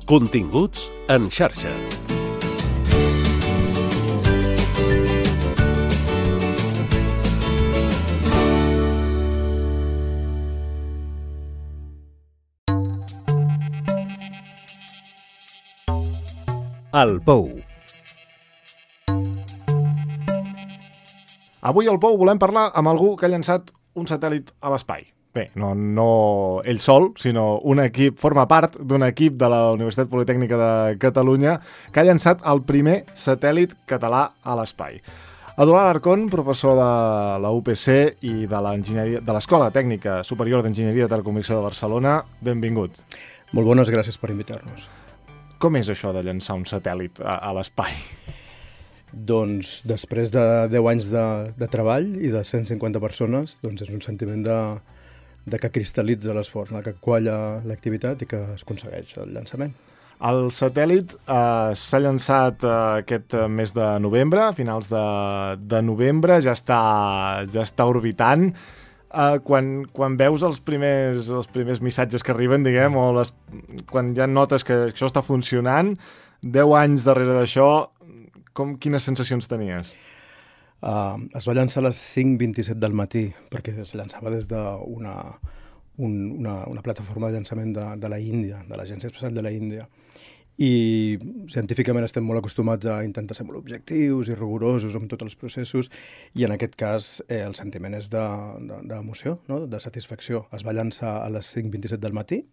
Continguts en xarxa. El Pou. Avui al Pou volem parlar amb algú que ha llançat un satèl·lit a l'espai. Bé, no ell sol, sinó un equip, forma part d'un equip de la Universitat Politècnica de Catalunya que ha llançat el primer satèl·lit català a l'espai. Eduard Alarcón, professor de la UPC i de l'Escola Tècnica Superior d'Enginyeria de Telecomunicació de Barcelona, benvingut. Molt bones, gràcies per invitar-nos. Com és això de llançar un satèl·lit a l'espai? Doncs després de 10 anys de treball i de 150 persones, doncs és un sentiment de que cristal·litza l'esforç, que qualla l'activitat i que es aconsegueix el llançament. El satèl·lit s'ha llançat aquest mes de novembre, a finals de novembre, ja està orbitant. Quan veus els primers missatges que arriben, diguem, o quan ja notes que això està funcionant, 10 anys darrere d'això, quines sensacions tenies? Es va llançar a les 5:27 del matí, perquè es llançava des d'una plataforma de llançament de la Índia, de l'Agència Espacial de la Índia. I científicament estem molt acostumats a intentar ser molt objectius i rigorosos amb tots els processos, i en aquest cas el sentiment és d'emoció, no? De satisfacció. Es va llançar a les 5:27 del matí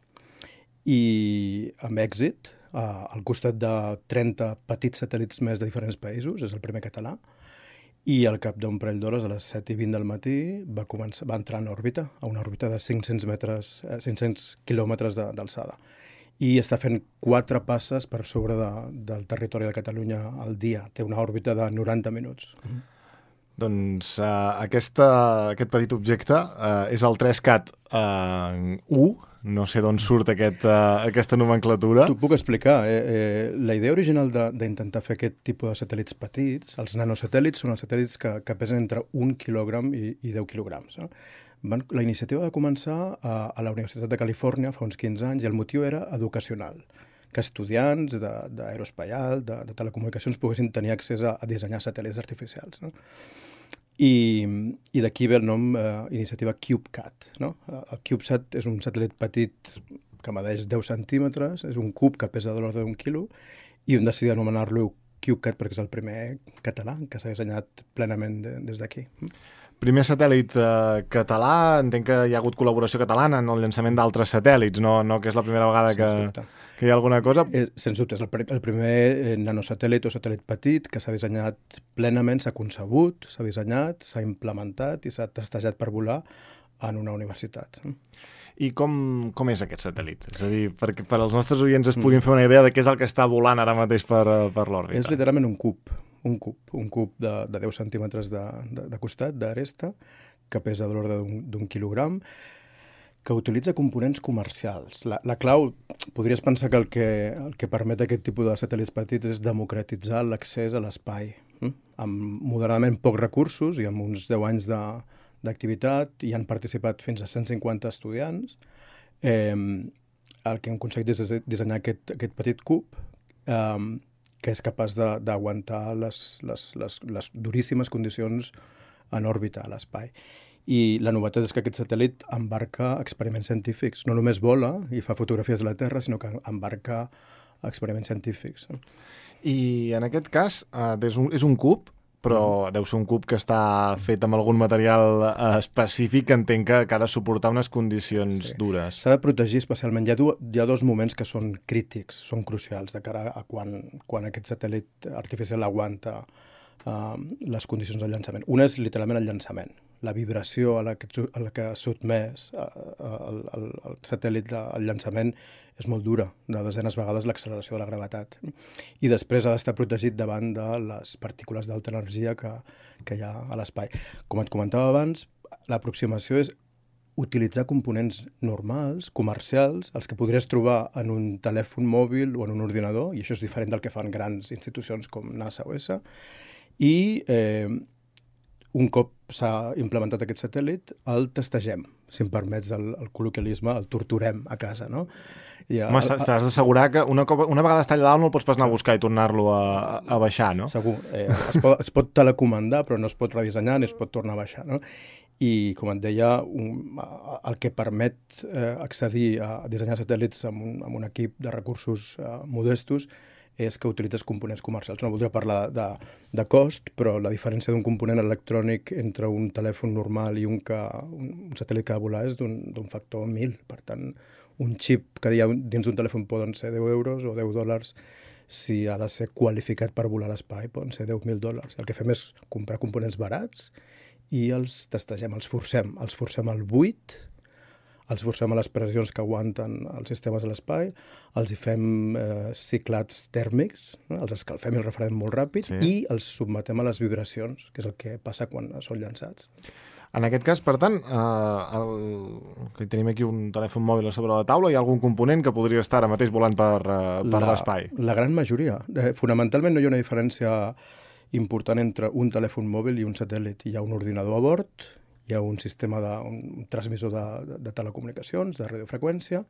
i amb èxit, al costat de 30 petits satèl·lits més de diferents països, és el primer català, i al cap d'un parell d'hores, a les 7:20 del matí, va entrar en òrbita, a una òrbita de 500 quilòmetres d'alçada. I està fent 4 passes per sobre del territori de Catalunya al dia. Té una òrbita de 90 minuts. Doncs aquest petit objecte és el 3CAT 1. No sé d'on surt aquesta nomenclatura. T'ho puc explicar. La idea original d'intentar fer aquest tipus de satèl·lits petits, els nanosatèl·lits són els satèl·lits que pesen entre 1 quilògram i 10 quilograms. La iniciativa va començar a la Universitat de Califòrnia fa uns 15 anys i el motiu era educacional, que estudiants d'aeroespacial, de telecomunicacions, poguessin tenir accés a dissenyar satèl·lits artificials. I d'aquí ve el nom iniciativa CubeCat. El CubeSat és un satèl·lit petit que medeix 10 centímetres, és un cub que pesa de l'ordre d'un quilo, i hem decidit anomenar-lo CubeCat perquè és el primer català que s'ha dissenyat plenament des d'aquí. Primer satèl·lit català, entenc que hi ha hagut col·laboració catalana en el llançament d'altres satèl·lits, no que és la primera vegada que hi ha alguna cosa? Sens dubte, és el primer nanosatèl·lit o satèl·lit petit que s'ha dissenyat plenament, s'ha concebut, s'ha dissenyat, s'ha implementat i s'ha testejat per volar en una universitat. I com és aquest satèl·lit? És a dir, perquè per als nostres oients es puguin fer una idea de què és el que està volant ara mateix per l'òrbita. És literalment un cub de 10 centímetres de costat, d'aresta, que pesa de l'ordre d'un quilogram, que utilitza components comercials. La clau, podries pensar que el que permet aquest tipus de satèl·lits petits és democratitzar l'accés a l'espai. Amb moderadament pocs recursos i amb uns 10 anys d'activitat, hi han participat fins a 150 estudiants. El que hem aconseguit és dissenyar aquest petit cub que és capaç d'aguantar les duríssimes condicions en òrbita a l'espai. I la novetat és que aquest satèl·lit embarca experiments científics. No només vola i fa fotografies de la Terra, sinó que embarca experiments científics. I en aquest cas és un cub, però deu ser un cub que està fet amb algun material específic que entenc que ha de suportar unes condicions dures. S'ha de protegir especialment. Hi ha 2 moments que són crítics, són crucials, de cara a quan aquest satèl·lit artificial aguanta les condicions del llançament. Una és literalment el llançament. La vibració a la que sotmès el satèl·lit al llançament és molt dura, de desenes vegades l'acceleració de la gravetat. I després ha d'estar protegit davant de les partícules d'alta energia que hi ha a l'espai. Com et comentava abans, l'aproximació és utilitzar components normals, comercials, els que podries trobar en un telèfon mòbil o en un ordinador, i això és diferent del que fan grans institucions com NASA o ESA, i un cop s'ha implementat aquest satèl·lit, el testegem. si em permets el col·loquialisme, el torturem a casa, no? Home, t'has d'assegurar que una vegada està allà dalt no el pots pas anar a buscar i tornar-lo a baixar, no? Segur. Es pot telecomandar, però no es pot redissenyar ni es pot tornar a baixar, no? I, com et deia, el que permet accedir a dissenyar satèl·lits amb un equip de recursos modestos és que utilitzes components comercials. No voldria parlar de cost, però la diferència d'un component electrònic entre un telèfon normal i un satèl·lit que ha de volar és d'un factor 1000. Per tant, un xip que hi ha dins d'un telèfon poden ser 10 euros o 10 dòlars. Si ha de ser qualificat per volar a l'espai, poden ser 10.000 dòlars. El que fem és comprar components barats i els testegem, els forcem al buit, els forcem a les pressions que aguanten els sistemes de l'espai, els hi fem ciclats tèrmics, els escalfem i els refredem molt ràpid, i els sotmetem a les vibracions, que és el que passa quan són llançats. En aquest cas, per tant, que tenim aquí un telèfon mòbil a sobre la taula, hi ha algun component que podria estar ara mateix volant per l'espai? La gran majoria. Fonamentalment no hi ha una diferència important entre un telèfon mòbil i un satèl·lit. Hi ha un ordinador a bord, hi ha un sistema un transmissor de telecomunicacions, de radiofreqüència,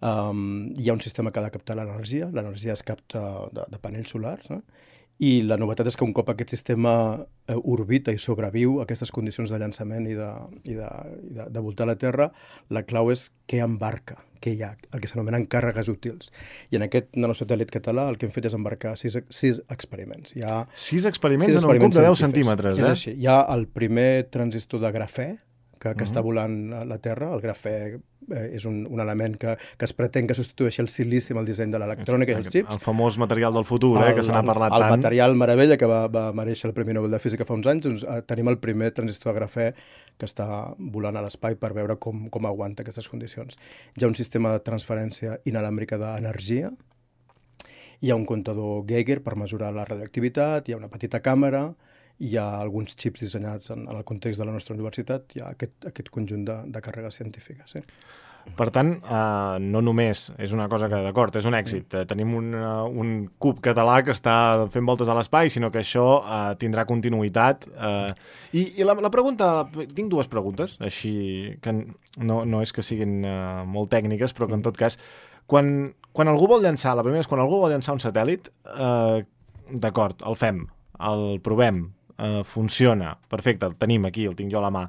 hi ha un sistema que ha de captar l'energia es capta de panells solars, i la novetat és que un cop aquest sistema orbita i sobreviu a aquestes condicions de llançament i de voltar la Terra, la clau és què embarca, què hi ha, el que s'anomenen càrregues útils. I en aquest nanosatèl·lit català el que hem fet és embarcar 6 experiments. 6 experiments en un cub de 10 centímetres, És així. Hi ha el primer transistor de grafè, que està volant a la Terra. El grafè és un element que es pretén que substitueixi el silici amb el disseny de l'electrònica i els xips. El famós material del futur, que se n'ha parlat tant. El material meravella que va mereixer el Premi Nobel de Física fa uns anys. Doncs, tenim el primer transistor de grafè que està volant a l'espai per veure com aguanta aquestes condicions. Hi ha un sistema de transferència inalàmbrica d'energia, hi ha un comptador Geiger per mesurar la radioactivitat, hi ha una petita càmera, hi ha alguns xips dissenyats en el context de la nostra universitat, hi ha aquest conjunt de càrregues científiques. Per tant, no només és una cosa que, d'acord, és un èxit. Tenim un cub català que està fent voltes a l'espai, sinó que això tindrà continuïtat. I la pregunta... Tinc dues preguntes, així que no és que siguin molt tècniques, però que en tot cas, quan algú vol llançar, la primera és quan algú vol llançar un satèl·lit, d'acord, el fem, el provem, funciona, perfecte, el tenim aquí, el tinc jo a la mà.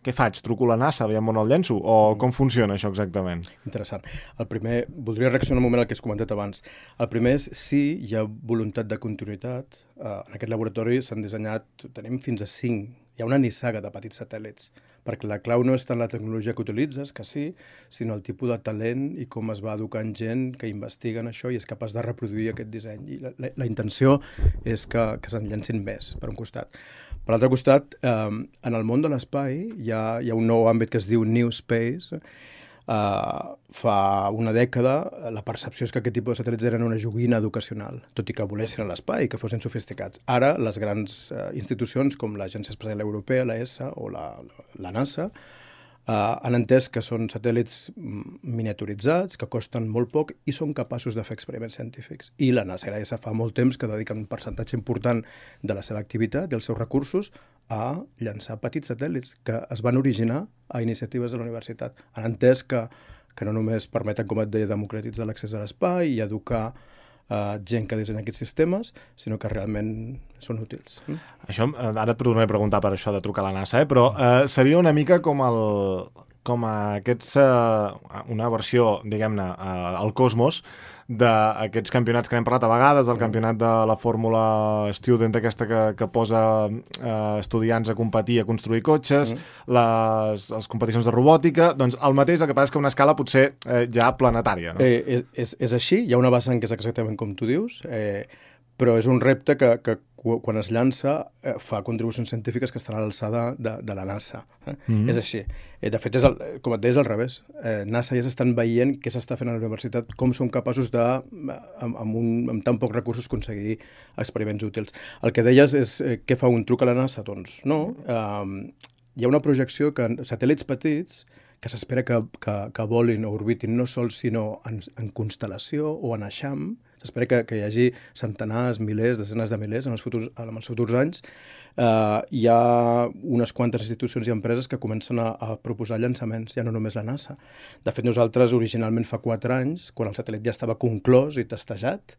Què faig? Truco a la NASA, veiem on el llenço? O com funciona això exactament? Interessant. El primer, voldria reaccionar un moment al que has comentat abans. El primer és si hi ha voluntat de continuïtat. En aquest laboratori s'han dissenyat, tenim fins a 5, hi ha una nissaga de petits satèl·lits, perquè la clau no és tant la tecnologia que utilitzes, que sí, sinó el tipus de talent i com es va educant gent que investiga en això i és capaç de reproduir aquest disseny. I la intenció és que se'n llancin més, per un costat. Per l'altre costat, en el món de l'espai hi ha un nou àmbit que es diu New Space. Fa una dècada la percepció és que aquest tipus de satèl·lits eren una joguina educacional, tot i que volessin a l'espai i que fossin sofisticats. Ara, les grans institucions com l'Agència Espacial Europea, l'ESA o la NASA, han entès que són satèl·lits miniaturitzats, que costen molt poc i són capaços de fer experiments científics. I la NASA i l'ESA fa molt temps que dediquen un percentatge important de la seva activitat i els seus recursos a llançar petits satèl·lits que es van originar a iniciatives de la universitat. Han entès que no només permeten, com et deia, democratitzar l'accés a l'espai i educar gent que dissenya aquests sistemes, sinó que realment són útils. Això, ara et tornaré a preguntar per això de trucar a la NASA, però seria una mica com una versió, diguem-ne, al cosmos d'aquests campionats que n'hem parlat a vegades, del campionat de la Fórmula Student aquesta que posa estudiants a competir, a construir cotxes, les competicions de robòtica, doncs el mateix, el que passa és que una escala potser ja planetària, no? És així, hi ha una vessant que és exactament com tu dius, però és un repte que quan es llança fa contribucions científiques que estan a l'alçada de la NASA. És així. De fet, com et deia, és al revés. NASA ja s'estan veient què s'està fent a la universitat, com són capaços de, amb tan pocs recursos, aconseguir experiments útils. El que deies és què fa un truc a la NASA? Doncs no. Hi ha una projecció que satèl·lits petits que s'espera que volin o orbitin no sols sinó en constel·lació o en eixam, s'espera que hi hagi centenars, milers, desenes de milers en els futurs anys. Hi ha unes quantes institucions i empreses que comencen a proposar llançaments, ja no només la NASA. De fet, nosaltres originalment fa 4 anys, quan el satèl·lit ja estava conclòs i testejat,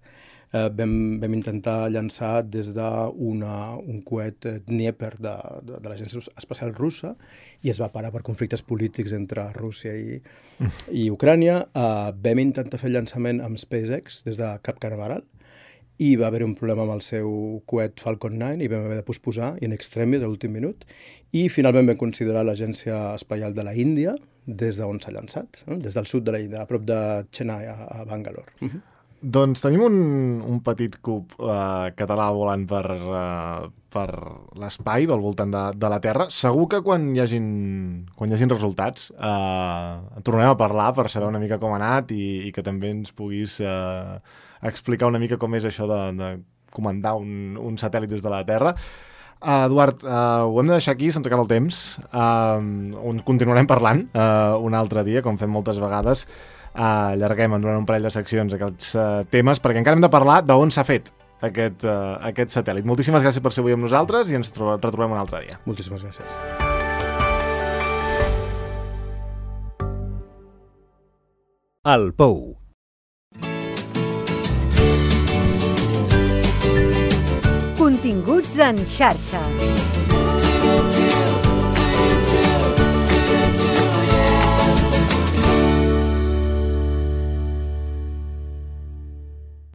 vam intentar llançar des d'un coet Dnieper de l'Agència Espacial Russa i es va parar per conflictes polítics entre Rússia i Ucrània. Vam intentar fer el llançament amb SpaceX des de Cap Canaveral i va haver un problema amb el seu coet Falcon 9 i vam haver de posposar in extremis a l'últim minut i finalment vam considerar l'Agència Espacial de la Índia des d'on s'ha llançat, des del sud de la Índia, a prop de Chennai, a Bangalore. Doncs tenim un petit cub català volant per l'espai, al voltant de la Terra. Segur que quan hi hagin resultats tornem a parlar per saber una mica com ha anat i que també ens puguis explicar una mica com és això de comandar un satèl·lit des de la Terra. Eduard, ho hem de deixar aquí, se'ns acaba el temps. On continuarem parlant un altre dia, com fem moltes vegades. Allarguem durant un parell de seccions aquests temes, perquè encara hem de parlar d'on s'ha fet aquest satèl·lit. Moltíssimes gràcies per ser avui amb nosaltres i ens retrobem un altre dia. Moltíssimes gràcies. El Pou. Continguts en xarxa.